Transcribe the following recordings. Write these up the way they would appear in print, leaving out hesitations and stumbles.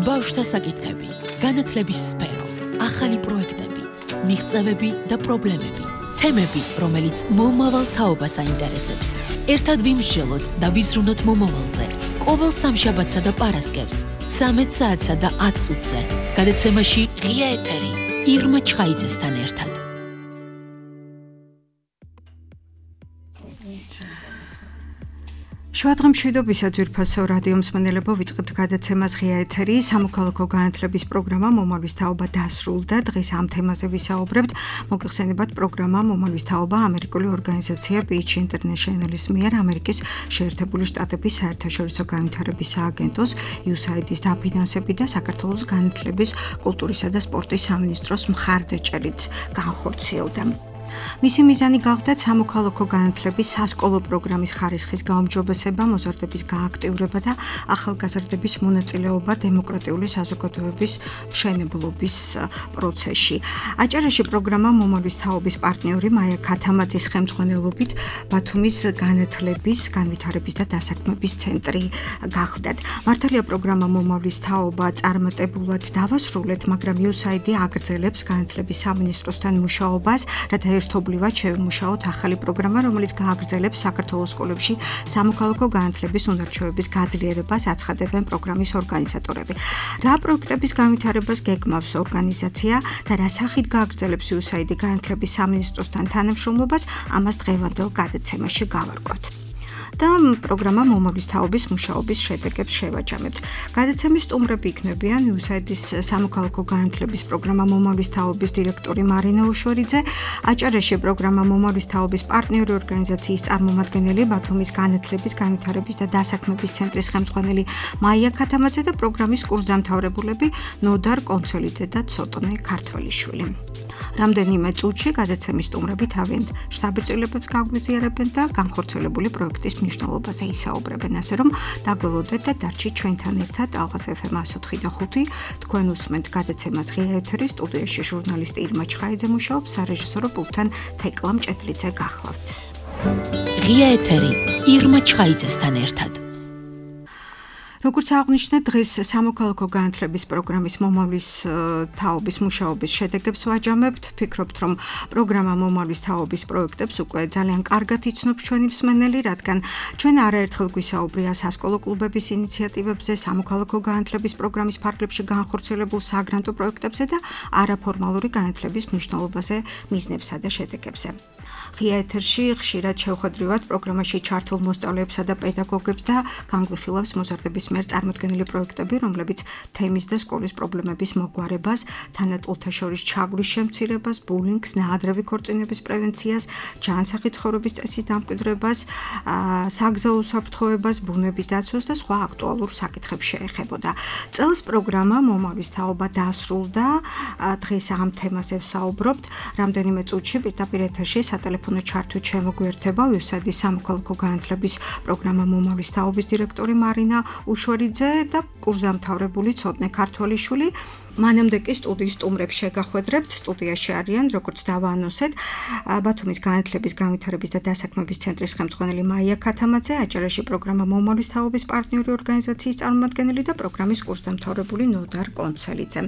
ბავშვთა საკითხები, განათლების სფერო, ახალი პროექტები, მიღწევები და პრობლემები, თემები, რომელიც მომავალ თაობას აინტერესებს. ერთად ვიმსჯელოთ და ვიზრუნოთ მომავალზე. ყოველ სამშაბათსა და პარასკევს, 13 საათსა და 10 წუთზე. გადაცემაში ღია ეთერი, ირმა ჩხაიძესთან ერთად. შუადღე მშვიდობისა ძვირფასო რადიო მსმენელებო, ვიწყებთ გადაცემას ღია ეთერი. სამოქალაქო განათლების პროგრამა მომავლის თაობა დასრულდა. დღეს ამ თემაზე ვისაუბრებთ. მოგეხსენებათ, პროგრამა მომავლის თაობა ამერიკული ორგანიზაცია PH International-ის მიერ ამერიკის შეერთებული შტატების საერთაშორისო განვითარების სააგენტოს USAID-ის დაფინანსებით და საქართველოს განათლების, კულტურისა და სპორტის სამინისტროს მხარდაჭერით განხორციელდა. მისი მიზანი გახდათ სამოქალაქო განათლების სასკოლო პროგრამის ხარისხის გაუმჯობესება, მოზარდების გააქტიურება და ახალგაზრდების მონაწილეობა დემოკრატიული საზოგადოების მშენებლობის პროცესში. აჭარაში პროგრამა მომავლის თაობის პარტნიორი მაია ქათამაძის ხელმძღვანელობით ბათუმის განათლების, განვითარების და დასაქმების ცენტრი გახდათ. მართალია პროგრამა მომავლის თაობა წარმატებულად დავასრულეთ, მაგრამ USAID აგრძელებს განათლების სამინისტროსთან მუშაობას, რათა ერთობლივად შევიმუშაოთ ახალი პროგრამა, რომელიც გააგრძელებს საქართველოს სკოლებში სამოქალაქო განათლების უნარჩვევების გაძლიერებას, აცხადებენ პროგრამის ორგანიზატორები. რა პროექტების განვითარებას გეგმავს ორგანიზაცია და რა სახით გააგრძელებს USAID განათლების სამინისტროსთან თანამშრომლობას, ამას დღევანდელ გადაცემაში გავარკვევთ. და პროგრამა მომავლის თაობის მუშაობის შედეგებს შევაჯამებთ. გადაცემის სტუმრები იქნებიან USAID-ის სამოქალაქო განათლების პროგრამა მომავლის თაობის დირექტორი მარინა უშვერიძე, აჭარაში პროგრამა მომავლის თაობის პარტნიორი ორგანიზაციის წარმომადგენელი, ბათუმის განათლების, განვითარების და დასაქმების ცენტრის ხელმძღვანელი მაია ქათამაძე და პროგრამის კურსდამთავრებულები ნოდარ კონცელიძე და ცოტნე ქართველიშვილი. რამდენიმე წუთში გადაცემის სტუმრები თავიანთ შთაბეჭდილებებს გაგვიზიარებენ და განხორციელებული პროექტის მნიშვნელობაზე ისაუბრებენ, ასე რომ დაგველოდეთ და დარჩით ჩვენთან ერთად. ალღას FM 104.5 თქვენ უსმენთ გადაცემას ღია ეთერი, სტუდიაში ჟურნალისტი ირმა ჩხაიძე მუშაობს, სარეჟისორო პულტთან თეკლა მჭედლიძე გახლავთ. ღია ეთერი, ირმა ჩხაიძესთან ერთად. როგორც აღნიშნეთ, დღეს სამოქალაქო განათლების პროგრამის მომავლის თაობის მუშაობის შედეგებს ვაჯამებთ. ვფიქრობთ, რომ პროგრამა მომავლის თაობის პროექტებს უკვე ძალიან კარგად იცნობს ჩვენი მსმენელი, რადგან ჩვენ არაერთხელ გვისაუბრია სასკოლო კლუბების ინიციატივებზე, სამოქალაქო განათლების პროგრამის ფარგლებში განხორციელებულ საგრანტო პროექტებზე და არაფორმალური განათლების მნიშვნელობაზე, მიზნებსა და შედეგებზე. ღია ეთერში ხშირად შევხვედრივად პროგრამაში ჩართულ მოსწავლეებსა და პედაგოგებს და განგვიხილავს მოზარდების მიერ წარმოდგენილი პროექტები, რომლებიც თემის და სკოლის პრობლემების მოგვარებას, თანატოლთა შორის ჩაგვრის შემცირებას, ბულინგს, ნაადრევი ქორწინების პრევენციას, ჯანსაღი ცხოვრების წესის დამკვიდრებას, საგზაო უსაფრთხოებას, ბუნების დაცვას და სხვა აქტუალურ საკითხებს შეეხებოდა. წელს პროგრამა მომავლის თაობა დასრულდა. დღეს ამ თემაზე ვსაუბრობთ. რამდენიმე წუთში პირდაპირ ეთერში სატელეფონო ჩართვით შემოგვიერთება USAID-ის სამოქალაქო განათლების პროგრამა მომავლის თაობის დირექტორი მარინა უშვერიძე და კურსდამთავრებული ცოტნე ქართველიშვილი. მანამდე კი სტუდიის სტუმრებს შეგახვედრებთ. სტუდიაში არიან, როგორც დავაანონსეთ, ბათუმის განათლების, განვითარების და დასაქმების ცენტრის ხელმძღვანელი მაია ქათამაძე, აჭარაში პროგრამა მომავლის თაობის პარტნიორი ორგანიზაციის წარმომადგენელი და პროგრამის კურსდამთავრებული ნოდარ კონცელიძე.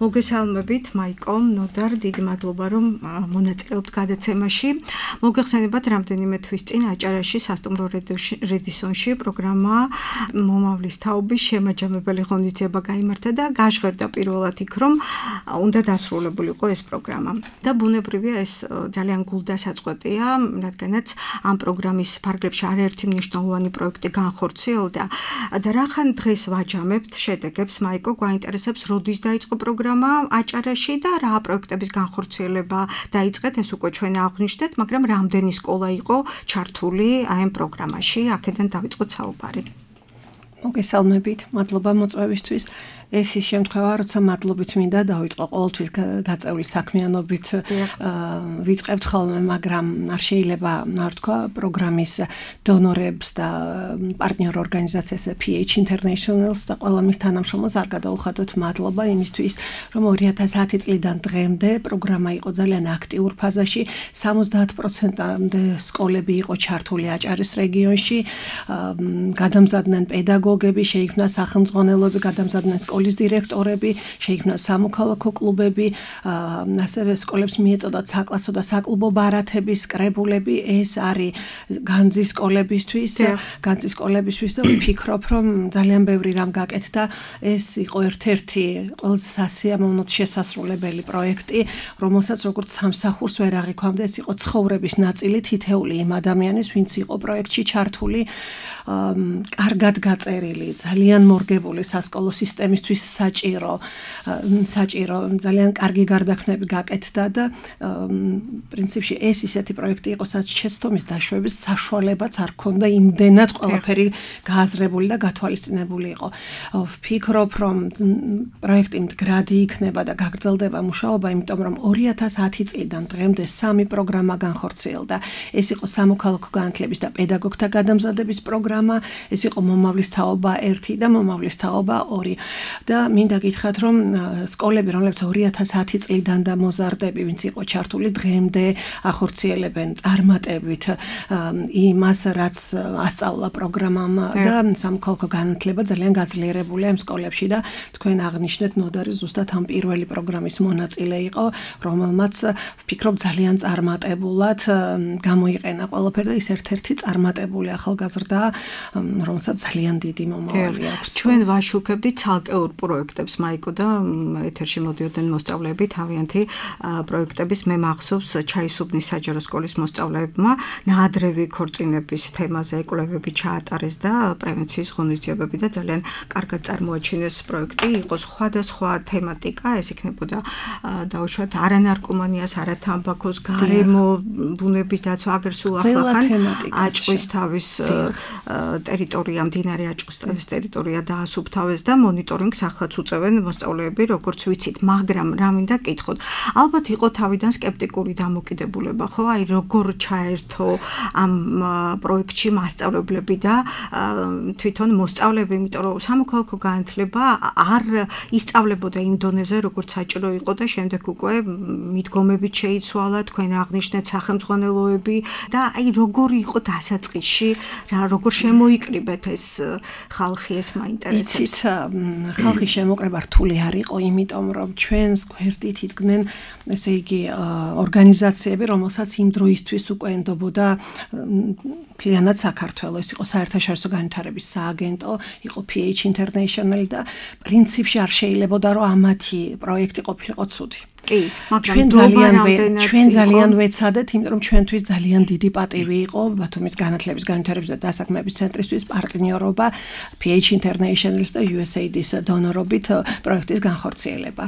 მოგესალმებით, მაიკო, ნოდარ, დიდი მადლობა, რომ მონაწილეობთ გადაცემაში. მოგეხსენებათ, რამდენიმე თვის წინ აჭარაში სასტუმრო რედისონში პროგრამა მომავლის თაობის შემაჯამებელი ღონისძიება გაიმართა და გაჟღერდა პირველ იქ რომ უნდა დასრულებულიყო ეს პროგრამა და ბუნებრივია ეს ძალიან გულდასაწყვეტია, რადგანაც ამ პროგრამის ფარგლებში არაერთი მნიშვნელოვანი პროექტი განხორციელდა და რახან დღეს ვაჯამებთ შედეგებს. მაიკო, გვაინტერესებს, როდის დაიწყო პროგრამა აჭარაში და რა პროექტების განხორციელება დაიწყეთ, ეს უკვე ჩვენ აღვნიშნეთ, მაგრამ რამდენი სკოლა იყო ჩართული ამ პროგრამაში, აქედან დავიწყოთ საუბარი. მოგესალმებით, მადლობა მოწვევისთვის. ეს ის შემთხვევა, როცა მადლობით მინდა დავიწყო ყოველთვის გაწეული საქმიანობით ვიწყებთ ხოლმე, მაგრამ არ შეიძლება არ თქვა პროგრამის დონორებს და პარტნიორ ორგანიზაციას PH International-ს და ყველა მის თანამშრომელს არ გადაუხადოთ მადლობა იმისთვის, რომ 2010 წლიდან დღემდე პროგრამა იყო ძალიან აქტიურ ფაზაში, 70%-მდე სკოლები იყო ჩართული აჭარის რეგიონში, გადამზადდნენ პედაგოგი პედაგოგები, შეიქმნა სახელმძღვანელოები, გადამზადდნენ სკოლის დირექტორები, შეიქმნა სამოქალაქო კლუბები, ასევე სკოლებს მიეწოდათ საკლასო და საკლუბო ბარათების კრებულები. ეს არის განძის სკოლებისთვის და ვფიქრობ, რომ ძალიან ბევრი რამ გაკეთდა. ეს იყო ერთ-ერთი ყველაზე სასიამოვნოდ შესასრულებელი პროექტი, რომელსაც როგორც სამსახურს ვერ აღიქვამდა, ეს იყო ცხოვრების ნაწილი თითეული იმ ადამიანის, ვინც იყო პროექტში ჩართული, კარგად გაწერილი, ძალიან მორგებული სასკოლო სისტემისთვის საჭირო, ძალიან კარგი გარდაქმნები გაკეთდა და პრინციპში ეს ისეთი პროექტი იყო, სადაც შეცდომის დაშვების საშუალებაც არ ქონდა, იმდენად ყველაფერი გააზრებული და გათვალისწინებული იყო. ვფიქრობ, რომ პროექტი მდგრადი იქნება და გაგრძელდება მუშაობა, იმიტომ რომ 2010 წლიდან დღემდე 3 პროგრამა განხორციელდა. ეს იყო სამოქალაქო განათლების და პედაგოგთა გადამზადების პროგრამა, ეს იყო მომავლის თაობა 1 და მომავლის თაობა 2. და მინდა გითხრათ, რომ სკოლები, რომლებიც 2010 წლიდან და მოზარდები, ვინც იყო ჩართული, დღემდე ახორციელებენ წარმატებით იმას, რაც ასწავლა პროგრამამ და სამოქალაქო განათლება ძალიან გაძლიერებულია ამ სკოლებში და თქვენ აღნიშნეთ, ნოდარი ზუსტად ამ პირველი პროგრამის მონაწილე იყო, რომელმაც ვფიქრობ ძალიან წარმატებულად გამოიყენა ყველაფერი და ის ერთ-ერთი წარმატებული ახალგაზრდა, რომელსაც ძალიან დიდი მომავალი აქვს. ჩვენ ვაშუქებდით ცალკეულ პროექტებს, მაიკო და ეთერში მოდიოდნენ მოსწავლეები თავიანთი პროექტების. მე მახსოვს ჩაისუბნის საჯარო სკოლის მოსწავლეებმა ნაადრევი ქორწინების თემაზე ეკვლევები ჩაატარეს და პრევენციის ღონისძიებები და ძალიან კარგად წარმოაჩინეს პროექტი. იყო სხვადასხვა თემატიკა, ეს იქნებოდა დაუშვათ არანარკომანიას, არათამბაქოს, გარემო, ბუნების დაცვა, აგერ სულ ახლახან აჭყვის თავის ტერიტორია, მდინარე აჭყვის თავის ტერიტორია დაასუფთავეს და მონიტორინგს ახლაც უწევენ მოსწავლეები, როგორც ვიცით, მაგრამ რა მინდა გითხოთ. ალბათ იყო თავიდან სკეპტიკური დამოკიდებულება, ხო? აი როგორ ჩაერთო ამ პროექტში მასწავლებლები და თვითონ მოსწავლეები, იმიტომ რომ სამოქალაქო განათლება არ ისწავლებოდა იმ დონეზე, როგორც საჭირო იყო და შემდეგ უკვე მიდგომებით შეიცვალა, თქვენ აღნიშნეთ სახელმძღვანელოები და აი როგორი იყო დასაწყისში, როგორ შემოიკრიბეთ ეს ხალხი, ეს მაინტერესებს. იცით, ხალხის შემოკრება რთული არ იყო, იმიტომ რომ ჩვენს გვერდით იდგნენ, ესე იგი, ორგანიზაციები, რომელსაც იმ დროისთვის უკვე ენდობოდა მთლიანად საქართველო. ეს იყო საერთაშორისო განვითარების სააგენტო, იყო PH International და პრინციპში არ შეიძლებოდა რომ ამათი პროექტი ყოფილიყო ცუდი. კი, მაგრამ ჩვენ ძალიან ვეცადეთ, იმიტომ რომ ჩვენთვის ძალიან დიდი პატივი იყო ბათუმის განათლების განვითარების და დასაქმების ცენტრისთვის პარტნიორობა PH International და USAID-ის დონორობით პროექტის განხორციელება.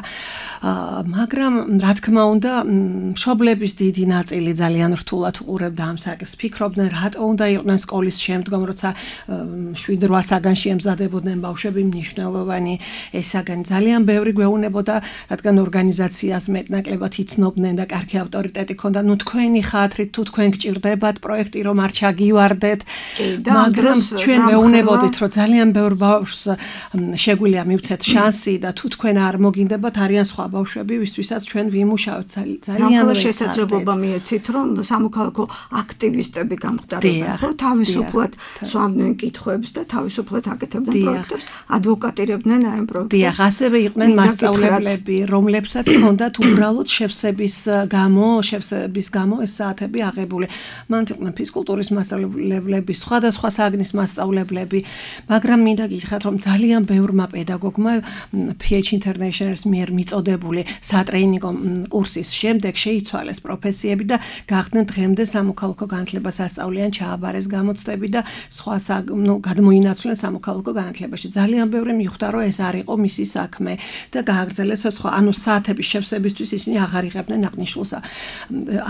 მაგრამ რა თქმა უნდა, მშობლების დიდი ნაწილი ძალიან რთულად უყურებდა ამ საკითხს. ფიქრობდნენ, რატო უნდა იყვნენ სკოლის შემდგომ, როცა 7-8 საგანში ემზადებოდნენ ბავშვები, მნიშვნელოვანი ეს საგანი. ძალიან ბევრი გვეუბნებოდა, რადგან ორგანიზაციას მეტნაკლებად იცნობდნენ და კარგი ავტორიტეტი ჰქონდა. ნუ თქვენი ხათრით, თუ თქვენ გჭირდებათ პროექტი, რომ არ ჩაგივარდეთ, მაგრამ ჩვენ მეუბნებოდით, რომ ძალიან ბევრ ბავშვს შეგვიძლია მივცეთ შანსი და თუ თქვენ არ მოგინდებათ, არიან სხვა ბავშვები, ვისთვისაც ჩვენ ვიმუშავებთ. ძალიან შესაძლებლობა მიეცით, რომ სამოქალაქო აქტივისტები გამხდარებენ, ხო, თავისუფლად სვამდნენ კითხვებს და თავისუფლად აკეთებდნენ პროექტებს, ადვოკატირებდნენ აი ამ პროექტებს. დიახ, ასევე იყვნენ მასწავლებლები, რომლებსაც ჰქონდათ უბრალოდ შევსების გამო ეს საათები აღებული. მან იყვნენ ფიზკულტურის მასწავლებლები, სხვადასხვა საგნის მასწავლებლები, მაგრამ მინდა გითხრათ, რომ ძალიან ბევრმა პედაგოგმა PH International-ის მიერ მიწოდებული სატრეინინგო კურსის შემდეგ შეიცვალეს პროფესიები და გახდნენ დღემდე სამოქალაქო განათლებას ასწავლიან, ჩააბარეს გამოცდები და სხვა გადმოინაცვლენ სამოქალაქო განათლებაში. ძალიან ბევრი მიხვდა, რომ ეს არ იყო მისი საქმე და გააგრძელეს სხვა, ანუ საათების შევსებისთვის ისინი აღარ იღებდნენ აღნიშნულს.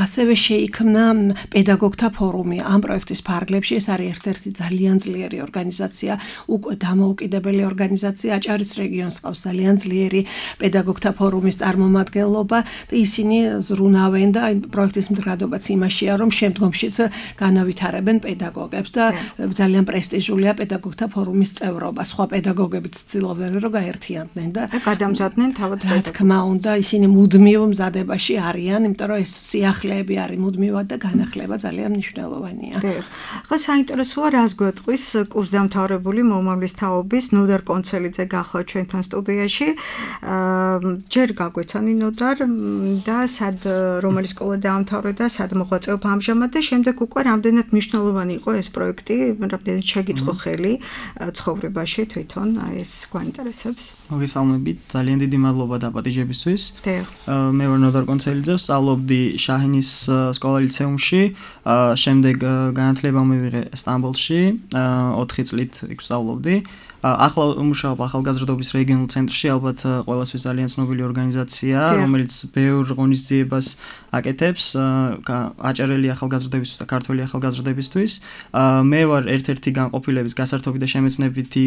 ასევე შეიქმნა პედაგოგთა ფორუმი ამ პროექტის ფარგლებში. ეს არის ერთ-ერთი ძალიან ძლიერი ორგანიზაცია, უკვე დამოუკიდებელი ორგანიზაცია. აჭარის რეგიონს ყავს ძალიან ძლიერი პედაგოგთა ფორუმის წარმომადგენლობა და ისინი ზრუნავენ და პროექტის მდგრადობაც იმაშია, რომ შემდგომშიც განავითარებენ პედაგოგებს და ძალიან პრესტიჟულია პედაგოგთა ფორუმის წევრობა. სხვა პედაგოგებიც ცდილობდნენ, რომ გაერთიანდნენ და გადამზადდნენ თავად პედაგოგებს. რა თქმა უნდა, ისინი მუდმივ მზადებაში არიან, იმიტომ რომ ეს სიახლეები არის მუდმივად და განახლება ძალიან მნიშვნელოვანია. ხო, საინტერესოა, რას გვეტყვის კურსდამთავრებული მომავლის თაობის ნოდარ კონცელიძე გახლა ჩვენთან სტუდიაში. ჯერ გაგვეცანი ნოდარ და სად რომელი სკოლა დაამთავრე და სად მოღვაწეობ ამჟამად და შემდეგ უკვე რამდენად მნიშვნელოვანი იყო ეს პროექტი, რამდენად შეგიწყო ხელი ცხოვრებაში თვითონ ეს გვაინტერესებს. მოგესალმებით, ძალიან დიდი მადლობა დაპატიჟებისთვის. მე ვარ ნოდარ კონცელიძე, ვსწავლობდი შაჰინის სკოლა ლიცეუმში, შემდეგ განათლება მივიღე სტამბოლში, 4 წლით იქ ვსწავლობდი. ახლა ვმუშაობ ახალგაზრდობის რეგიონულ ცენტრში, ალბათ ყველასთვის ძალიან ცნობილი ორგანიზაცია, რომელიც ბევრ ღონისძიებას აკეთებს, აჭარელი ახალგაზრდებისთვის და ქართველი ახალგაზრდებისთვის. მე ვარ ერთ-ერთი განყოფილების გასართობი და შემეცნებითი,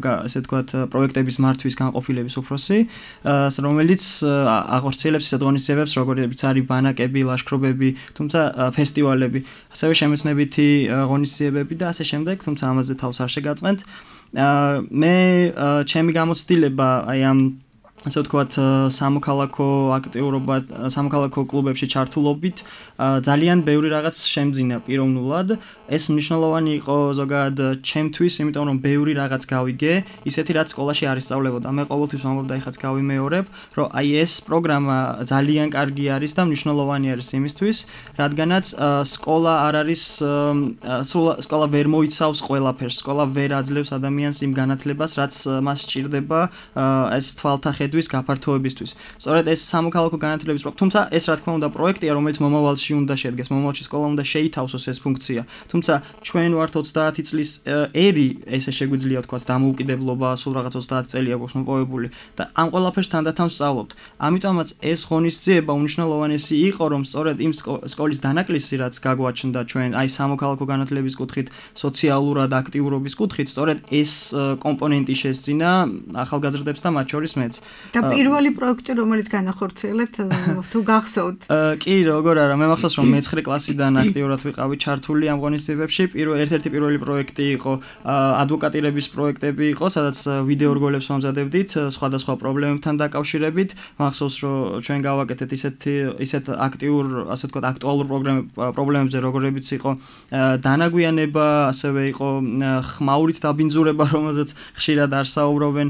ასე ვთქვათ, პროექტების მართვის განყოფილების უფროსი, რომელიც აღორციელებს ისეთ ღონისძიებებს, როგორიც არის ბანაკები, ლაშქრობები, თუმცა ფესტივალები, ასევე შემეცნებითი ღონისძიებები და ასე შემდეგ, თუმცა ამაზე თავს არ შეგაწყენთ. მე ჩემი გამოცდილება აი ამ ასე ვთქვათ სამოქალაქო აქტიურობა, სამოქალაქო კლუბებში ჩართულობით ძალიან ბევრი რაღაც შემძინა პიროვნულად. ეს მნიშვნელოვანი იყო ზოგადად ჩემთვის, იმიტომ რომ ბევრი რაღაც გავიგე, ისეთი რაც სკოლაში არ ისწავლებოდა. მე ყოველთვის ვამბობ და ეხაც გავიმეორებ, რომ აი ეს პროგრამა ძალიან კარგი არის და მნიშვნელოვანი არის იმისთვის, რადგანაც სკოლა არ არის სკოლა ვერ მოიცავს ყველაფერს, სკოლა ვერ აძლევს ადამიანს იმ განათლებას, რაც მას სჭირდება ეს თვალთახედვის გაფართოებისთვის. სწორედ ეს სამოქალაქო განათლების თუმცა ეს რა თქმა უნდა პროექტია, რომელიც მომავალში უნდა შედგეს, მომავალში სკოლა უნდა შეითავსოს ეს ფუნქცია. თუმცა ჩვენ ვართ 30 წლის ერი, ესე შეგვიძლია ვთქვათ, დამოუკიდებლობა, სულ რაღაც 30 წელია გვაქვს მოპოვებული და ამ ყველაფერს თანდათან ვსწავლობთ. ამიტომაც ეს ღონისძიება უნიშნელოვანესი იყო, რომ სწორედ იმ სკოლის დანაკლისი, რაც გაგვაჩნდა ჩვენ, აი სამოქალაქო განათლების კუთხით, სოციალურად აქტიურობის კუთხით, სწორედ ეს კომპონენტი შესძინა ახალგაზრდებს და მათ შორის მეც. და პირველი პროექტი, რომელიც განახორციელეთ, თუ გახსოვთ? კი, როგორ არა, მე მახსოვს, რომ მე-9 კლასიდან აქტიურად ვიყავი ჩართული ამ ღონისძიებებში. ერთ-ერთი პირველი პროექტი იყო ადვოკატირების პროექტები იყო, სადაც ვიდეო რგოლებს ვამზადებდით სხვადასხვა პრობლემებთან დაკავშირებით. მახსოვს, რომ ჩვენ გავაკეთეთ ისეთ აქტიურ, ასე ვთქვათ, აქტუალურ პრობლემებზე, როგორებიც იყო დანაგვიანება, ასევე იყო ხმაურით დაბინძურება, რომელზეც ხშირად არ საუბრობენ.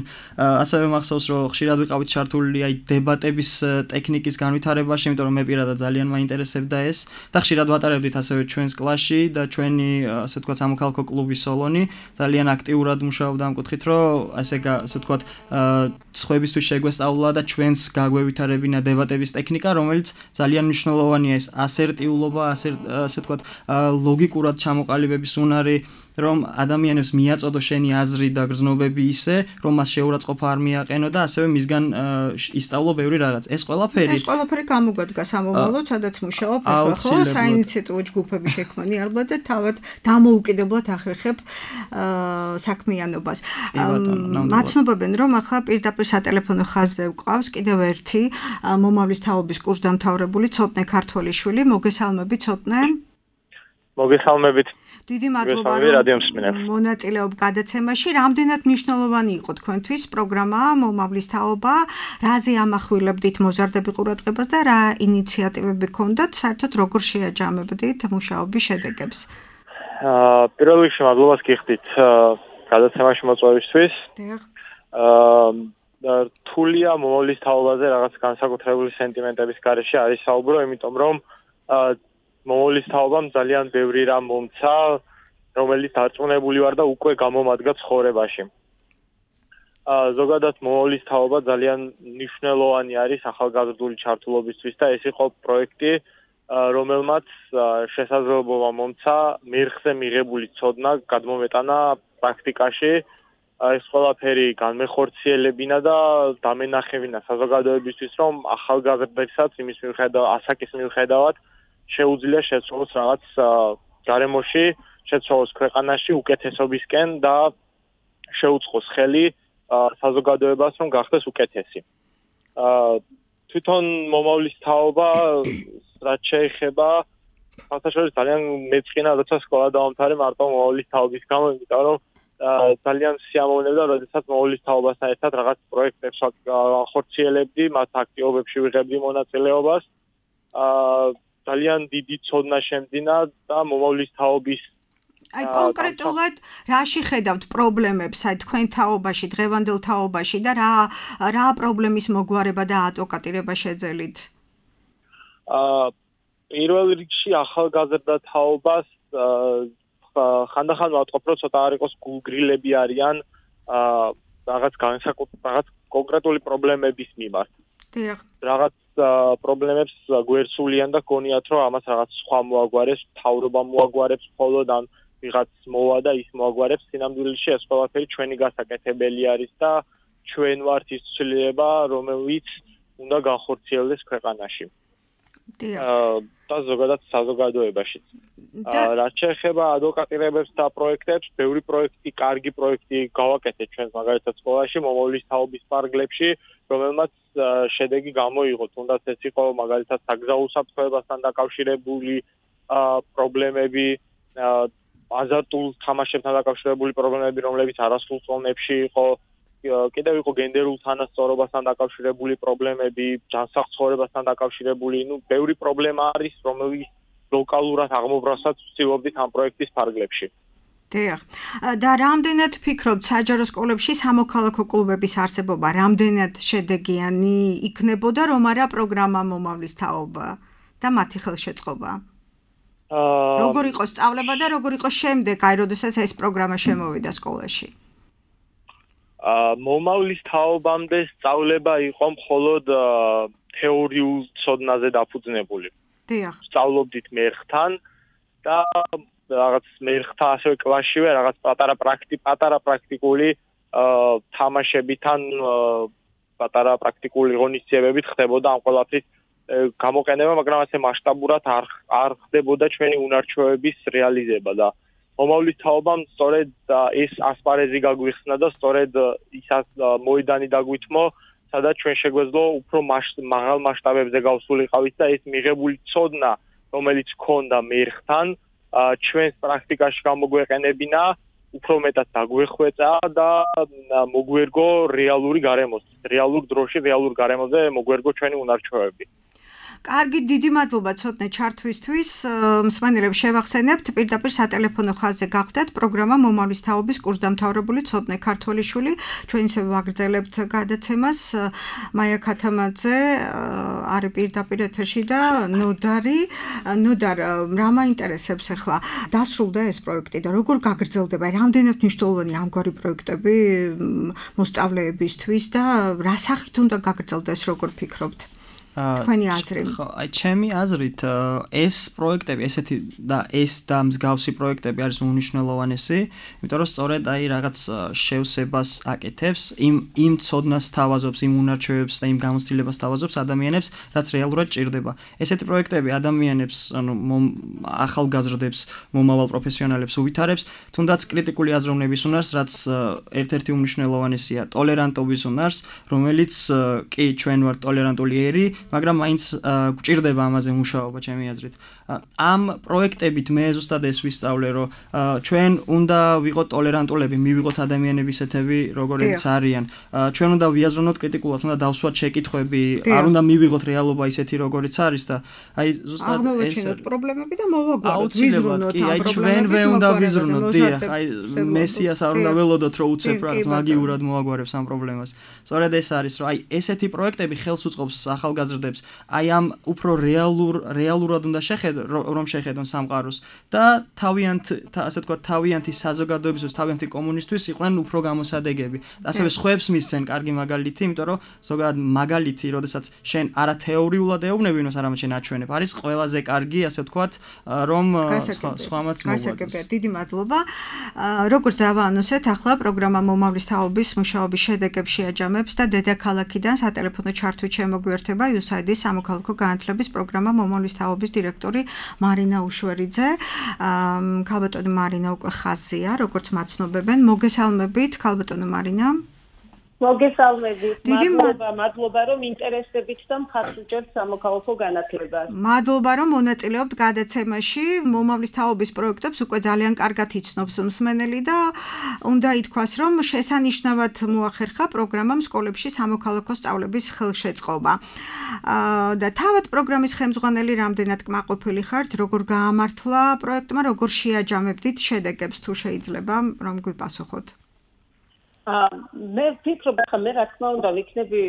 ასევე მახსოვს, რომ ხშირად ვიყავით ჩართული აი დებატების ტექნიკის განვითარებაში, იმიტომ რომ მე პირადად ძალიან მაინტერესებდა ეს და ხშირად ვატარებდით ასევე ჩვენს კლასში და ჩვენი ასე ვთქვათ სამოქალაქო კლუბი სოლონი ძალიან აქტიურად მუშაობდა ამ კუთხით, რომ ასე ვთქვათ სხვებისთვის შეგვესწავლა და ჩვენს გაგვევითარებინა დებატების ტექნიკა, რომელიც ძალიან მნიშვნელოვანია ეს ასერტიულობა, ასე ვთქვათ ლოგიკურად ჩამოყალიბების უნარი, რომ ადამიანებს მიაწოდო შენი აზრი და გრძნობები ისე, რომ მას შეურაცხყოფა არ მიაყენო და ასევე მისგან ისწავლო ბევრი რაღაც. ეს ყველაფერი გამოგვადგა სამომავლოდ, სადაც მუშაობ ახლა ხო საინიციატივო ჯგუფები შექმნი ალბათ და თავად დამოუკიდებლად ახერხებ საქმიანობას. მაცნობებენ, რომ ახლა პირდაპირ სატელეფონო ხაზზე ვყავს კიდევ ერთი მომავლის თაობის კურსდამთავრებული ცოტნე ქართველიშვილი. მოგესალმებით ცოტნე. მოგესალმებით. დიდი მადლობა, რომ მონაწილეობ გადაცემაში. რამდენად მნიშვნელოვანი იყო თქვენთვის პროგრამა მომავლის თაობა, რაზე ამახვილებდით მოზარდები ყურადღებას და რა ინიციატივები გქონდათ, საერთოდ როგორ შეაჯამებდით მუშაობის შედეგებს? პირველ რიგში მადლობას გიხდით გადაცემაში მოწვევისთვის. რთულია მომავლის თაობაზე რაღაც განსაკუთრებული სენტიმენტების გარეშე არის საუბრო, იმიტომ რომ მომავლის თაობამ ძალიან ბევრი რამ მომცა, რომელიც დარწმუნებული ვარ და უკვე გამომადგა ცხოვრებაში. ზოგადად მომავლის თაობა ძალიან მნიშვნელოვანი არის ახალგაზრდული ჩართულობისთვის და ეს იყო პროექტი, რომელმაც შესაძლებლობა მომცა მერხზე მიღებული ცოდნა გადმომეტანა პრაქტიკაში. ეს ყველაფერი განმეხორციელებინა და დამენახებინა საზოგადოებისთვის, რომ ახალგაზრდებსაც იმის მიუხედავად, ასაკის მიუხედავად შეუძლია შეცვალოს რაღაც გარემოში, შეცვალოს ქვეყანაში უკეთესობისკენ და შეუწყოს ხელი საზოგადოებას, რომ გახდეს უკეთესი. თვითონ მომავლის თაობა, რაც შეეხება, საერთოდ ძალიან მეწყინა, როცა სკოლა დავამთავრე მარტო მომავლის თაობის გამო, იმიტომ რომ ძალიან სიამოვნებდა, როდესაც მომავლის თაობასთან ერთად რაღაც პროექტებს ახორციელებდი, მათ აქტივობებში ვიღებდი მონაწილეობას. ძალიან დიდი ცოდნა შემძინა და მომავლის თაობის აი კონკრეტულად რაში ხედავთ პრობლემებს აი თქვენ თაობაში, დღევანდელ თაობაში და რა პრობლემის მოგვარება და ადვოკატირება შეძელით? პირველ რიგში ახალგაზრდა თაობას ხანდახან ვატყობ, რომ ცოტა არ იყოს გულგრილები არიან რაღაც კონკრეტული პრობლემების მიმართ. დიახ. რაღაც პრობლემებს გვერდსულიან და გონიათ, რომ ამას რაღაც სხვა მოაგვარებს, მთავრობა მოაგვარებს მხოლოდ ან ვიღაც მოვა და ის მოაგვარებს. სინამდვილეში ეს ყველაფერი ჩვენი გასაკეთებელი არის და ჩვენ ვართ ის ცვლილება, რომელიც უნდა განხორციელდეს ქვეყანაში. და ზოგადად საზოგადოებაშიც. რაც შეეხება ადვოკატირებებს და პროექტებს, ბევრი პროექტი, კარგი პროექტი გავაკეთეთ ჩვენ მაგალითად სკოლაში, მომავლის თაობის პარკლებში, რომელმაც შედეგი გამოიღო. თუნდაც ეს იყო მაგალითად საგზაო უსაფრთხოებასთან დაკავშირებული პრობლემები, აზარტულ თამაშებთან დაკავშირებული პრობლემები, რომლებიც არასრულ წონებში იყო. კიდევ იყო გენდერულ თანასწორობასთან დაკავშირებული პრობლემები, ჯანსაღ ცხოვრებასთან დაკავშირებული, ბევრი პრობლემა არის, რომელიც ლოკალურად აღმობრასაც ვცდილობდით ამ პროექტის ფარგლებში. დიახ. და რამდენად ფიქრობთ საჯარო სკოლებში სამოქალაქო კლუბების არსებობა რამდენად შედეგიანი იქნებოდა, რომ არა პროგრამა მომავლის თაობა და მათი ხელშეწყობა? როგორ იყო სწავლება და როგორ იყო შემდეგ, აი როდესაც ეს პროგრამა შემოვიდა სკოლაში? მომავლის თაობამდე სწავლება იყო მხოლოდ თეორიულ ცოდნაზე დაფუძნებული. დიახ. სწავლობდით მერხთან და რაღაც მერხთა ასევე კლასშივე რაღაც პატარა პრაქტიკული თამაშებიდან პატარა პრაქტიკული ღონისძიებებით ხდებოდა ამ ყველაფრის გამოყენება, მაგრამ ასე მასშტაბურად არ ხდებოდა ჩვენი უნარჩვევების რეალიზება და მომავლის თაობამ სწორედ ეს ასპარეზი გაგვიხსნა და სწორედ ის მოედანი დაგვითმო, სადაც ჩვენ შეგვეძლო უფრო მაღალ მასშტაბებზე გავსულიყავით და ეს მიღებული ცოდნა, რომელიც ჰქონდა მერხთან, ჩვენს პრაქტიკაში გამოგვეყენებინა, უფრო მეტად დაგვეხვეწა და მოგვერგო რეალური დროში, რეალურ გარემოზე მოგვერგო ჩვენი უნარჩვევები. კარგი, დიდი მადლობა ცოტნე ჩართვისთვის. მსმენელებს შევახსენებთ, პირდაპირ სატელეფონო ხაზზე გახდათ პროგრამა მომავლის თაობის კურსდამთავრებული ცოტნე ქართველიშვილი. ჩვენ ისე ვაგრძელებთ გადაცემას. მაია ქათამაძე არის პირდაპირ ეთერში და ნოდარ, რა მაინტერესებს ახლა? დასრულდა ეს პროექტი და როგორ გაგრძელდება? რამდენად მნიშვნელოვანი ამგვარი პროექტები მოსწავლეებისთვის და რა სახით უნდა გაგრძელდეს, როგორ ფიქრობთ? თქვენი აზრი. ხო, აი ჩემი აზრით ეს პროექტები, ესეთი და ეს და მსგავსი პროექტები არის უნიშნელოვანესი, იმიტომ რომ სწორედ აი რაღაც შევსებას აკეთებს, იმ ცოდნას თავაზობს, იმ უნარჩვევებს და იმ გამოცდილებას თავაზობს ადამიანებს, რაც რეალურად ჭირდება. ესეთი პროექტები ადამიანებს, ანუ ახალგაზრდებს, მომავალ პროფესიონალებს უვითარებს, თუნდაც კრიტიკული აზროვნების უნარს, რაც ერთ-ერთი უმნიშვნელოვანესია, ტოლერანტობის უნარს, რომელიც კი ჩვენ ვართ ტოლერანტული ერი, მაგრამ მაინც გვჭირდება ამაზე მუშაობა ჩემი აზრით. ამ პროექტებით მე ზუსტად ეს ვისწავლე, რომ ჩვენ უნდა ვიყოთ ტოლერანტულები, მივიღოთ ადამიანების ესეთები, როგორიც არიან. ჩვენ უნდა ვიაზრუნოთ კრიტიკულად, უნდა დავსვათ შეკითხვები, არ უნდა მივიღოთ რეალობა ისეთი, როგორიც არის და აი ზუსტად ეს აღმოვაჩინოთ პრობლემები და მოვაგვაროთ, ვიზრუნოთ ამ პრობლემებს. ჩვენვე უნდა ვიზრუნოთ, დიახ, აი მესიას არ უნდა ველოდოთ, რომ უცებ რაღაც მაგიურად მოაგვარებს ამ პრობლემას. სწორედ ეს არის, რომ აი ესეთი პროექტები ხელს უწყობს ახალგაზრდებს, აი ამ უფრო რეალურად უნდა რომ შეხედონ სამყაროს და ასე თქვა თავიანთი საზოგადოებისთვის, თავიანთი კომუნისტვის იყვნენ უფრო გამოსადეგები. ასევე სხვებს მისცენ კარგი მაგალითი, იმიტომ რომ ზოგადად მაგალითი, როდესაც შენ არა თეორიულად ეუბნებინოს, არამედ შენ აჩვენებ, არის ყველაზე კარგი, ასე თქვა, რომ სხვამაც მოგვაწევს. დიდი მადლობა. როგორც დავაანონსეთ, ახლა პროგრამა მომავლის თაობის მუშაობის შედეგებს შეაჯამებს და დედაქალაქიდან სატელეფონო ჩართვით შემოგვიერთება USAID-ის სამოქალაქო განათლების პროგრამა მომავლის თაობის დირექტორი მარინა უშვერიძე. ქალბატონი მარინა უკვე ხაზია, როგორც მაცნობებენ. მოგესალმებით, ქალბატონო მარინა. მოგესალმებით. მადლობა რომ ინტერესებით და მხარს უჭერთ სამოქალაქო განათლებას. მადლობა რომ მონაწილეობთ გადაცემაში. მომავლის თაობის პროექტებს უკვე ძალიან კარგად იცნობს მსმენელი და უნდა ითქვას რომ შესანიშნავად მოახერხა პროგრამამ სკოლებში სამოქალაქო სწავლების ხელშეწყობა. და თავად პროგრამის ხელმძღვანელი რამდენად კმაყოფილი ხართ, როგორ გაამართლა პროექტმა, როგორ შეაჯამებდით შედეგებს თუ შეიძლება რომ გვიპასუხოთ. მე ვფიქრობ, ხა მე რა თქმა უნდა ვიქნები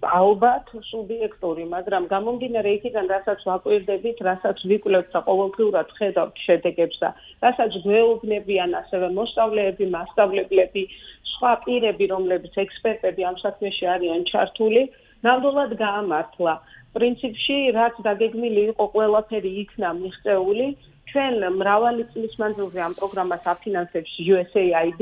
ალბათ სუბიექტური, მაგრამ გამომდინარე იქიდან, რასაც ვაკვირდებით, რასაც ვიკვლევთ და ყოველდღიურად ხედავთ შედეგებს და რასაც გვეუბნებიან ასევე მოსწავლეები, მასწავლებლები, სხვა პირები, რომლებიც ექსპერტები ამ საქმეში არიან ჩართული, ნამდვილად გაამართლა. პრინციპში, რაც დაგეგმილი იყო, ყველაფერი იქნა მიღწეული. ჩვენ მრავალი წლის მანძილზე ამ პროგრამას აფინანსებს USAID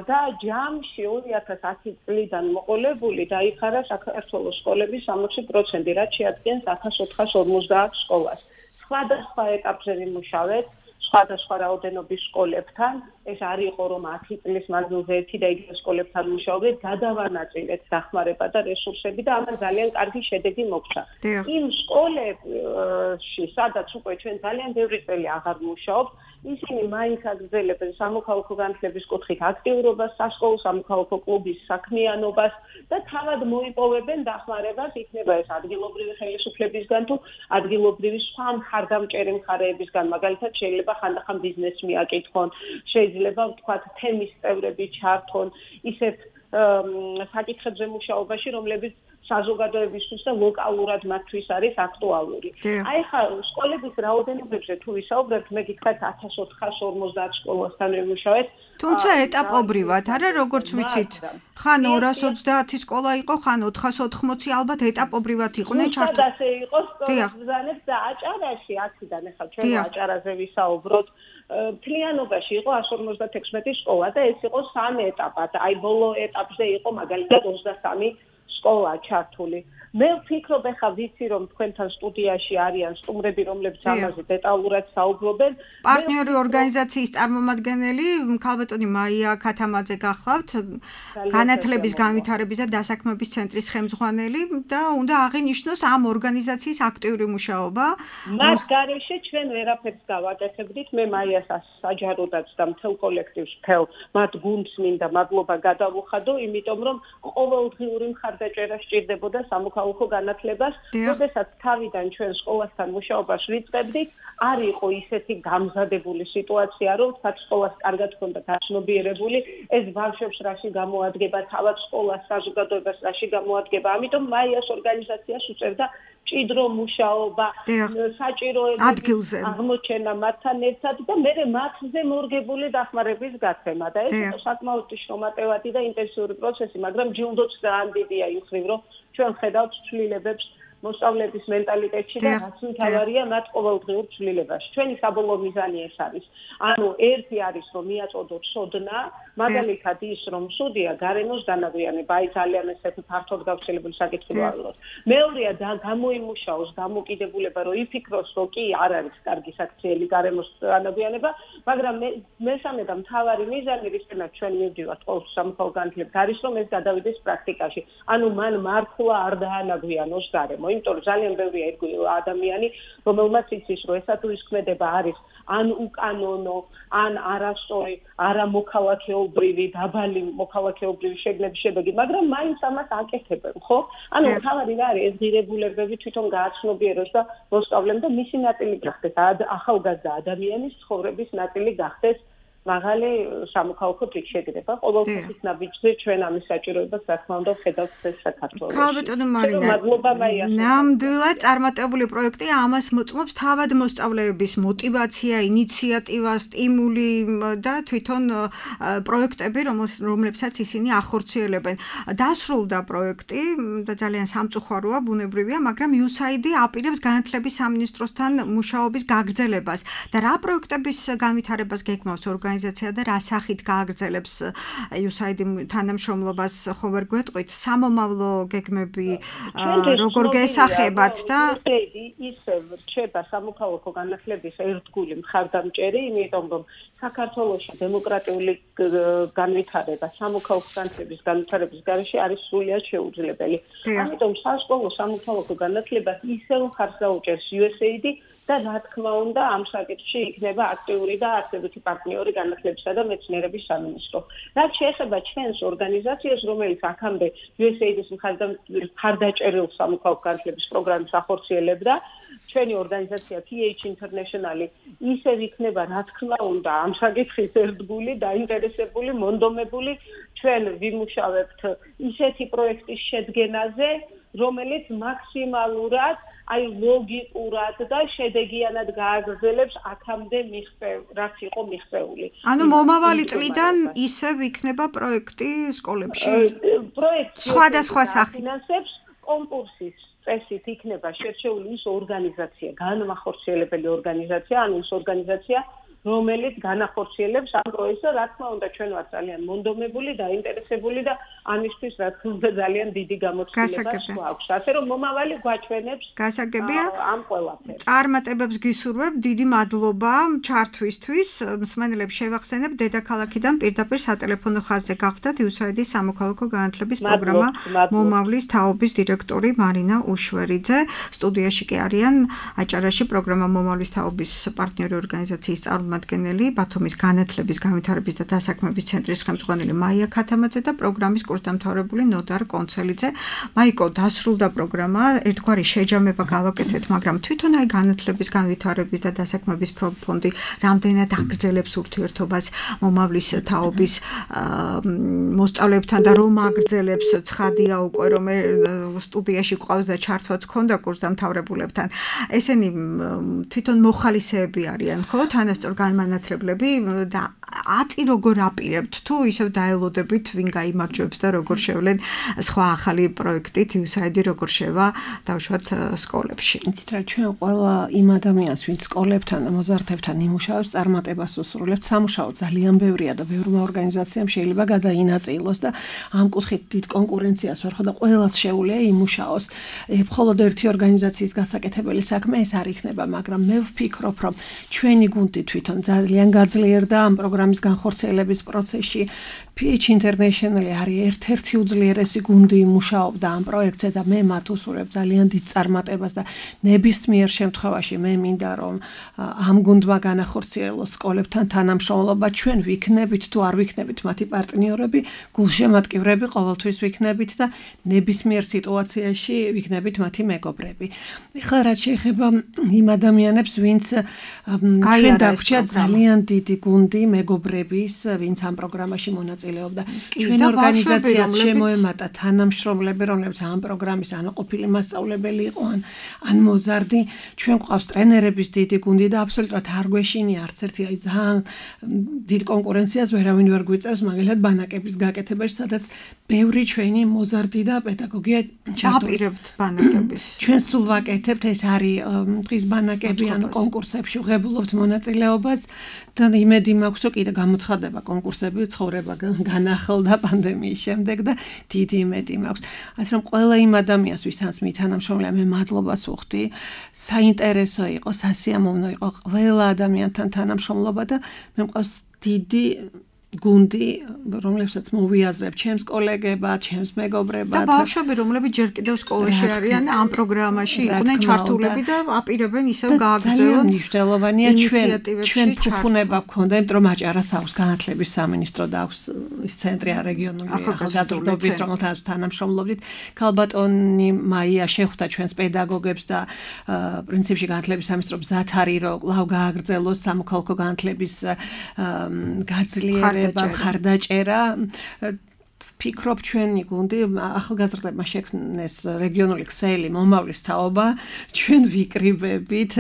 და ჯამში 2010 წლიდან მოყოლებული დაიხარა საქართველოს სკოლების 60%, რაც შეადგენს 1450 სკოლას. სხვადასხვა ეტაპზე ვიმუშავეთ სხვადასხვა რაოდენობის სკოლებთან. ეს არ იყო რომ 10 წლის მანძილზე ერთი და იგივე სკოლებთან ვიმუშავეთ, გადავანაწილეთ დახმარება და რესურსები და ამან ძალიან კარგი შედეგი მოგვცა. იმ სკოლებში, სადაც უკვე ჩვენ ძალიან ბევრი წელი აღარ ვმუშაობთ, ისინი მაინც აგრძელებენ სამოქალაქო განათლების კუთხით აქტიურობას, სასკოლო სამოქალაქო კლუბის საქმიანობას და თავად მოიპოვებენ დახმარებას, იქნება ეს ადგილობრივი ხელისუფლებისგან თუ ადგილობრივი სხვა მხარდამჭერი მხარეებისგან, მაგალითად შეიძლება ხანდახან ბიზნესს მიაკითხონ, შეიძლება ვთქვათ თემის წევრები ჩართონ ისეთ საკითხებზე მუშაობაში, რომლებიც საზოგადოებისთვის და ლოკალურად მათთვის არის აქტუალური. აი ხა სკოლების რაოდენობებზე თუ ვისაუბრებთ, მე გითხრათ 1450 სკოლასთან ვიმუშავეთ. თუმცა ეტაპობრივად, არა როგორც ვიცით, ხან 230 სკოლა იყო, ხან 480, albათ ეტაპობრივად იყვნენ ჩართული. ასე იყო სკოლის ბრძანებს და აჭარაში, აქედან ახლა ჩვენ აჭარაზე ვისაუბროთ. მთლიანობაში იყო 156 სკოლა და ეს იყო 3 ეტაპად. აი ბოლო ეტაპზე იყო მაგალითად 23 სკოლა ჩართული. მე ვფიქრობ, ახლა ვიცი რომ თქვენთან სტუდიაში არიან სტუმრები, რომლებიც ამაზე დეტალურად საუბრობენ. პარტნიორი ორგანიზაციის წარმომადგენელი ქალბატონი მაია ქათამაძე გახლავთ, განათლების განვითარების და დასაქმების ცენტრის ხელმძღვანელი და უნდა აღინიშნოს ამ ორგანიზაციის აქტიური მუშაობა. მას გარეშე ჩვენ ვერაფერს გავაკეთებდით. მე მაიას საჯაროდაც და მთელ კოლექტივს მთელ მათ გუნდს მინდა მადლობა გადავუხადო, იმიტომ რომ ყოველდღიური მხარდაჭერა სჭირდებოდა სამოქალაქო განათლებას, როდესაც თავიდან ჩვენ სკოლასთან მუშაობას ვიწყებდით, არ იყო ისეთი გამზადებული სიტუაცია, რომ თქვა სკოლას კარგად ჰქონდა გაცნობიერებული, ეს ბავშვებს რაში გამოადგება, თავად სკოლას, საზოგადოებას რაში გამოადგება. ამიტომ მაიას ორგანიზაციას უწევდა ჭიდრო მუშაობა, საჭიროების აღმოჩენა მათთან ერთად და მე მათზე მორგებული დახმარების გაცემა და ეს იყო საკმაოდ შრომატევადი და ინტენსიური პროცესი, მაგრამ ჯილდოც ძალიან დიდია ის მხრივ, რომ ჩვენ ხედავთ ცვლილებებს მოსწავლეების მენტალიტეტში და რაც მთავარია მათ ყოველდღიურ ცვლილებაში. ჩვენი საბოლოო მიზანი ეს არის. ანუ ერთი არის რომ მიაწოდოთ სოდნა, მაგალითად ის რომ სუდია გარემოს განაგვიანება, აი ძალიან ესეთი ფართოდ გავრცელებული საკითხი ვარლოთ. მეორეა და გამოიმუშაოს დამოკიდებულება, რომ იფიქროს, რომ კი არ არის კარგი საქციელი გარემოს განაგვიანება, მაგრამ მესამე და მთავარი მიზანი რისკენად ჩვენ მივდივართ ყოველთვის სამოქალაქო განათლებით არის რომ ეს გადავიდეს პრაქტიკაში. ანუ მან მართლა არ დაანაგვიანოს გარემო. იმიტომ რომ ძალიან ბევრია ადამიანი, რომელმაც იცის, რომ ესა თუ ის ქმედება არის ან უკანონო, ან არასწორი, არამოქალაქეობრივი, დაბალი მოქალაქეობრივი შეგნების შედეგი, მაგრამ მაინც ამას აკეთებენ, ხო? ანუ თავარი რა არის, ეს ღირებულებები თვითონ გააცნობიეროს და მოსწავლემ და მისი ნაწილი გახდეს, ახალგაზრდა ადამიანის ცხოვრების ნაწილი გახდეს მაღალი სამოქალაქო შეგრება. ყოველთვის ნაბიჯზე ჩვენ ამის საჭიროებას რა თქმა უნდა ვხედავთ საქართველოში. ქალბატონო მარინა, ნამდვილად წარმატებული პროექტი ამას მოწმობს თავად მოსწავლეების მოტივაცია, ინიციატივა, სტიმული და თვითონ პროექტები, რომლებსაც ისინი ახორციელებენ. დასრულდა პროექტი და ძალიან სამწუხაროა, ბუნებრივია, მაგრამ USAID აპირებს განათლების სამინისტროსთან მუშაობის გაგრძელებას და რა პროექტების განვითარებას გეგმავს ორგანიზაცია ორგანიზაცია და რა სახით გააგრძელებს USAID თანამშრომლობას ხო ვერ გვეტყვით სამომავლო გეგმები როგორ გესახებათ და ისევ რჩება სამოქალაქო განათლების ერთგული მხარდამჭერი, იმიტომ რომ საქართველოში დემოკრატიული განვითარება სამოქალაქო განათლების განვითარების გარეშე არის სრულიად შეუძლებელი. ამიტომ სასკოლო სამოქალაქო განათლებას ისევ მხარს დაუჭერს USAID და რა თქმა უნდა ამ საკითხში იქნება აქტიური და არსებითი პარტნიორი განათლებისა და მეცნიერების სამინისტრო. რაც შეეხება ჩვენს ორგანიზაციას, რომელიც აქამდე USAID-ის მხარდაჭერილ სამოქალაქო განათლების პროგრამას ახორციელებდა, ჩვენი ორგანიზაცია PH International ისევ იქნება რა თქმა უნდა ამ საკითხის ერთგული, დაინტერესებული, მონდომებული. ჩვენ ვიმუშავებთ ისეთი პროექტის შედგენაზე, რომელიც მაქსიმალურად ლოგიკურად და შედეგიანად გააგრძელებს აქამდე რაც იყო მიღწეული. ანუ მომავალი წლიდან ისევ იქნება პროექტი სკოლებში? პროექტი სხვადასხვა სახით ფინანსებს კონკურსის წესით იქნება შერჩეული ის ორგანიზაცია, განმახორციელებელი ორგანიზაცია, ანუ ის ორგანიზაცია, რომელიც განახორციელებს ამ პროექტს და რა თქმა უნდა ჩვენ ვართ ძალიან მონდომებული და ინტერესებული და ამისთვის რა თქმა უნდა ძალიან დიდი გამოცდილება გვაქვს. ასე რომ მომავალი გვაჩვენებს გასაგებია ამ ყველაფერს. წარმატებებს გისურვებ, დიდი მადლობა ჩართვისთვის. მსმენელებს შევახსენებ, დედაქალაქიდან პირდაპირ სატელეფონო ხაზზე გახდათ USAID-ის სამოქალაქო განათლების პროგრამა მომავლის თაობის დირექტორი მარინა უშვერიძე. სტუდიაში კი არიან აჭარაში პროგრამა მომავლის თაობის პარტნიორი ორგანიზაციის წარმომადგენელი, ბათუმის განათლების, განვითარების და დასაქმების ცენტრის ხელმძღვანელი მაია ქათამაძე და პროგრამის კურსდამთავრებული ნოდარ კონცელიძე. მაიკო, დასრულდა პროგრამა, ერთგვარი შეჯამება გავაკეთეთ, მაგრამ თვითონ აი განათლების, განვითარების და დასაქმების ფონდი რამდენად აგრძელებს ურთიერთობას მომავლის თაობის მოსწავლეებთან და რომ აგრძელებს, ცხადია უკვე რომ სტუდიაში ყავს და ჩართვაც ქონდა კურსდამთავრებულებთან. ესენი თვითონ მოხალისეები არიან, ხო? თანასწორ განმანათლებლები და აწი როგორ აპირებთ თუ ისევ დაელოდებით ვინ გაიმარჯვებს და როგორ შევლენ სხვა ახალი პროექტით USAID როგორ შევა დავშვათ სკოლებში. იცით რა ჩვენ ყველა იმ ადამიანს ვინც სკოლებთან და მოზარდებთან იმუშავებს წარმატებას უსრულებთ სამუშაო ძალიან ბევრია და ბევრმა ორგანიზაციამ შეიძლება გადაინაწილოს და ამ კუთხით დიდ კონკურენციას ვერ ხო და ყველას შეუძლია იმუშაოს. მხოლოდ ერთი ორგანიზაციის გასაკეთებელი საქმე ეს არ იქნება, მაგრამ მე ვფიქრობ რომ ჩვენი გუნდი თვითონ ძალიან გაძლიერდა ამ პროგრამის განხორციელების პროცესში. PH International არის ერთ-ერთი უძლიერესი გუნდი მუშაობდა ამ პროექტზე და მე მათ უსურვებ ძალიან დიდ წარმატებას და ნებისმიერ შემთხვევაში მე მინდა რომ ამ გუნდმა განახორციელოს სკოლებთან თანამშრომლობა, ჩვენ ვიქნებით თუ არ ვიქნებით მათი პარტნიორები, გულშემატკივრები ყოველთვის ვიქნებით და ნებისმიერ სიტუაციაში ვიქნებით მათი მეგობრები. ეხლა რაც შეეხება იმ ადამიანებს, ვინც ჩვენ დაგვჭირდა ძალიან დიდი გუნდი მეგობრების, ვინც ამ პროგრამაში მონაწილეობდა. ჩვენ ორგანიზაციას შემოემატა თანამშრომლები, რომლებიც ამ პროგრამის ანაყოფილი მასწავლებელი იყო, ან მოზარდი. ჩვენ გვყავს ტრენერების დიდი გუნდი და აბსოლუტურად არ გვეშინია არც ერთი ძალიან დიდ კონკურენციას ვერავინ ვერ გვიწევს, მაგალითად ბანაკების გაკეთებაში, სადაც ბევრი ჩვენი მოზარდი და პედაგოგია ჩაპირებთ ბანაკების. ჩვენ სულ ვაკეთებთ, ეს არის დღის ბანაკები, ანუ კონკურსებში ვღებულობთ მონაწილეობას და იმედი მაქვს, რომ კიდე გამოცხადება კონკურსები, ცხოვრება განახლდა პანდემიის შემდეგ და დიდი იმედი მაქვს. ასე რომ ყველა იმ ადამიანს, ვისაც მითანამშრომლია, მე მადლობას ვუხდი. საინტერესო იყო, სასიამოვნო იყო ყველა ადამიანთან თანამშრომლობა და მე მყავს დიდი გუნდი, რომლებსაც მოვიაზრებ ჩემს კოლეგებად, ჩემს მეგობრებად. და ბავშვები, რომლებიც ჯერ კიდევ სკოლაში არიან, ამ პროგრამაში იყვნენ ჩართულები და აპირებენ ისევ გააგრძელონ. ძალიან მნიშვნელოვანია ჩვენ ფუფუნება გქონდა, იმიტომ რომ აჭარას აქვს განათლების სამინისტრო და აქვს ის ცენტრი რეგიონული ახალგაზრდობის, რომელთანაც თანამშრომლობდით. ქალბატონი მაია შეხვდა ჩვენს პედაგოგებს და პრინციპში განათლების სამინისტრო მზად არის, რომ კვლავ გააგრძელოს სამოქალაქო განათლების გაძლიერება, მხარდაჭერა. ფიქრობ ჩვენი გუნდი ახალგაზრდებმა შექმნეს რეგიონული ქსელი მომავლის თაობა ჩვენ ვიკრიბებით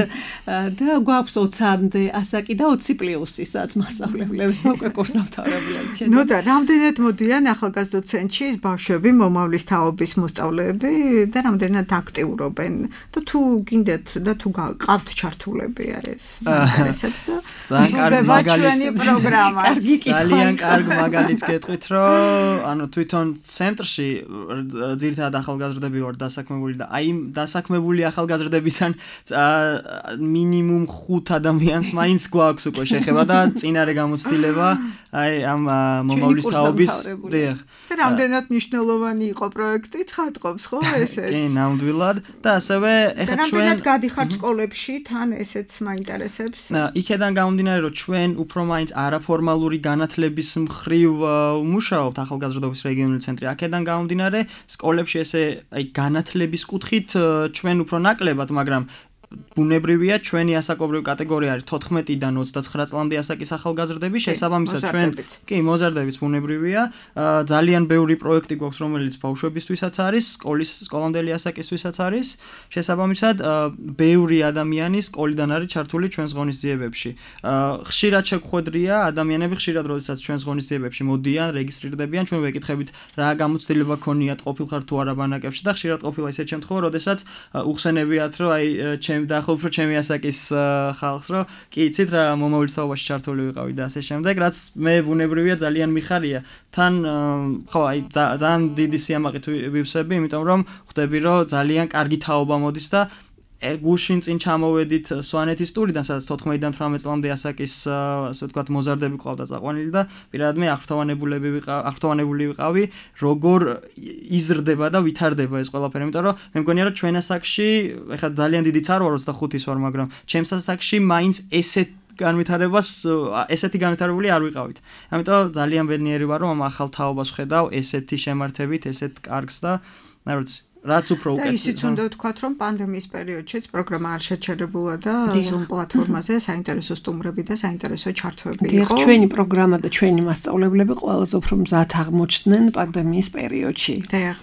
და გვაქვს 20-მდე ასაკი და 20+-ისაც მასწავლებლებს უკვე კურსდამთავრებლები. ნუ და რამდენად მოდიან ახალგაზრდა ცენტრში ბავშვები მომავლის თაობის მოსწავლეები და რამდენად აქტიურობენ და თუ გინდათ და თუ გყავთ ჩართულები ეს ინტერესებს და ძალიან კარგი მაგალითს გეტყვით რომ ანუ თვითონ ცენტრში ძირითადად ახალგაზრდები ვარ დასაქმებული და აი დასაქმებული ახალგაზრდებიდან მინიმუმ 5 ადამიანს მაინც გვაქვს უკვე შეხება და წინარე გამოცდილება აი ამ მომავლის თაობის დიახ და რამდენად მნიშვნელოვანი იყო პროექტი ცხადყოფს ხო ესეც კი ნამდვილად და ასევე ეხლა ჩვენ რამდენად გადიხართ სკოლებში თან ესეც მაინტერესებს იქედან გამომდინარე რომ ჩვენ უფრო მაინც არაფორმალური განათლების მხრივ ვმუშაობთ ახალგაზრდობის რეგიონული ცენტრი აქედან გამომდინარე სკოლებში ესე აი განათლების კუთხით ჩვენ უფრო ნაკლებად მაგრამ ბუნებრივია ჩვენი ასაკობრივი კატეგორია არის 14-დან 29 წლამდე ასაკის ახალგაზრდები შესაბამისად ჩვენ კი მოზარდებიც ბუნებრივია ძალიან ბევრი პროექტი გვაქვს რომელიც ბავშვებისთვისაც არის სკოლამდელი ასაკისთვისაც არის შესაბამისად ბევრი ადამიანი სკოლიდან არის ჩართული ჩვენს ღონისძიებებში ხშირად შეგხვედრია ადამიანები ხშირად როდესაც ჩვენს ღონისძიებებში მოდიან რეგისტრირდებიან ჩვენ ვეკითხებით რა გამოცდილება ქონიათ ყოფილხარ თუ არა ბანაკებში და ხშირად ყოფილა ისეთ შემთხვევა როდესაც უხსენებიათ რომ აი და ხო უფრო ჩემი ასაკის ხალხს რომ კი იცით რა მომავლის თაობაში ჩართული ვიყავი და ასე შემდეგ რაც მე ბუნებრივია ძალიან მიხარია თან ხო აი ძალიან დიდი სიამაყით ვივსები იმიტომ რომ ხვდები რომ ძალიან კარგი თაობა მოდის და გუშინ წინ ჩამოვედით სვანეთის ტურიდან სადაც 14-დან 18 წლამდე ასაკის ასე ვთქვათ მოზარდები ყავდა წაყვანილი და პირადად მე აღფრთოვანებული ვიყავი როგორ იზრდება და ვითარდება ეს ყველაფერი იმიტომ რომ მე მგონია რომ ჩვენ ასაკში ეხლა ძალიან დიდიც არ ვარ 25-ის ვარ მაგრამ ჩემს ასაკში მაინც ესეთი განვითარებული არ ვიყავით ამიტომ ძალიან ბედნიერი ვარ რომ ამ ახალ თაობას ვხედავ ესეთი შემართებით ესეთ კარგს და რა ვიცი რაც უფრო უკეთ. და ისიც უნდა ვთქვათ, რომ პანდემიის პერიოდშიც პროგრამა არ შეჩერებულა და Zoom პლატფორმაზე საინტერესო სტუმრები და საინტერესო ჩართვები იყო. ჩვენი პროგრამა და ჩვენი მასწავლებლები ყველაზე უფრო მზად აღმოჩნდნენ პანდემიის პერიოდში. დიახ.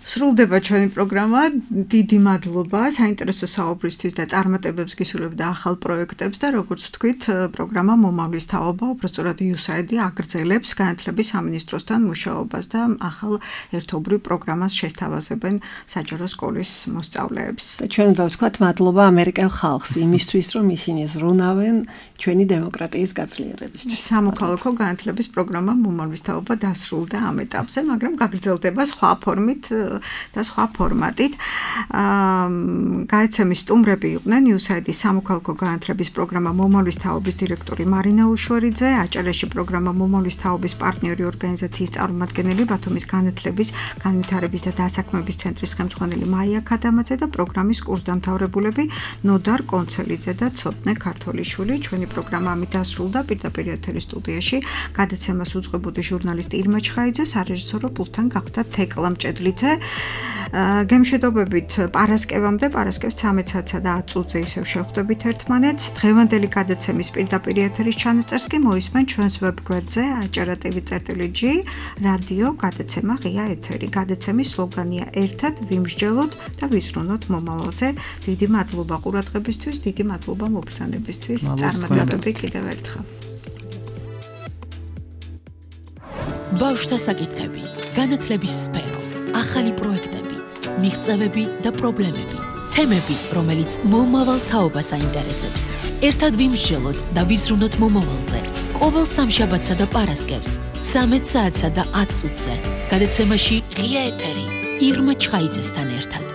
სრულდება ჩვენი პროგრამა. დიდი მადლობა საინტერესო საუბრისთვის და წარმატებებს გისურვებ და ახალ პროექტებს და როგორც ვთქვით, პროგრამა მომავლის თაობა, უბრალოდ USAID აგრძელებს განათლების სამინისტროსთან მუშაობას და ახალ ერთობრივ პროგრამას შესთავაზებენ საჯარო სკოლის მოსწავლეებს. და ჩვენ უნდა ვთქვათ მადლობა ამერიკელ ხალხს იმისთვის, რომ ისინი ზრუნავენ ჩვენი დემოკრატიის გაცლიერებისთვის. სამოქალაქო განათლების პროგრამა მომავლის თაობა დასრულდა ამ ეტაპზე, მაგრამ გაგრძელდება სხვა ფორმით და სხვა ფორმატით. გაეცემის სტუმრები იყვნენ USAID-ის სამოქალაქო განათლების პროგრამა მომავლის თაობის დირექტორი მარინა უშვერიძე, აჭარეში პროგრამა მომავლის თაობის პარტნიორი ორგანიზაციის წარმომადგენელი ბათუმის განათლების, განვითარების და დასაქმების ცენტრის ხელმძღვანელი მაია ქადამაძე და პროგრამის კურსდამთავრებულები ნოდარ კონცელიძე და ცოტნე ქართოლიშვილი. ჩვენი პროგრამა ამით დასრულდა. პირდაპირ ეთერის სტუდიაში გადაცემას უძღვებოდი ჟურნალისტი ირმა ჩხაიძე, სარეჟისორო პულტთან გახდა თეკლა მჭედლიძე. გემშვიდობებით პარასკევამდე, პარასკევს 13-სა და 10 წუთზე ისევ შევხვდებით ერთმანეთს. დღევანდელი გადაცემის პირდაპირ ეთერის ჩანაწერს კი მოისმენ ჩვენს ვებგვერდზე acara.tv.g რადიო გადაცემა ღია ეთერი. გადაცემის სლოგანია ერთად ვიმსჯელოთ და ვიზრუნოთ მომავალზე. დიდი მადლობა ყურადღებისთვის, დიდი მადლობა მობრძანებისთვის. წარმატებები კიდევ ერთხელ. ბავშვთა საკითხები, განათლების სფერო, ახალი პროექტები, მიღწევები და პრობლემები, თემები, რომელიც მომავალ თაობას აინტერესებს. ერთად ვიმსჯელოთ და ვიზრუნოთ მომავალზე. ყოველ სამშაბათსა და პარასკევს 13 საათსა და 10 წუთზე. გადაცემაში ღია ეთერი ირმა ჩხაიძესთან ერთად.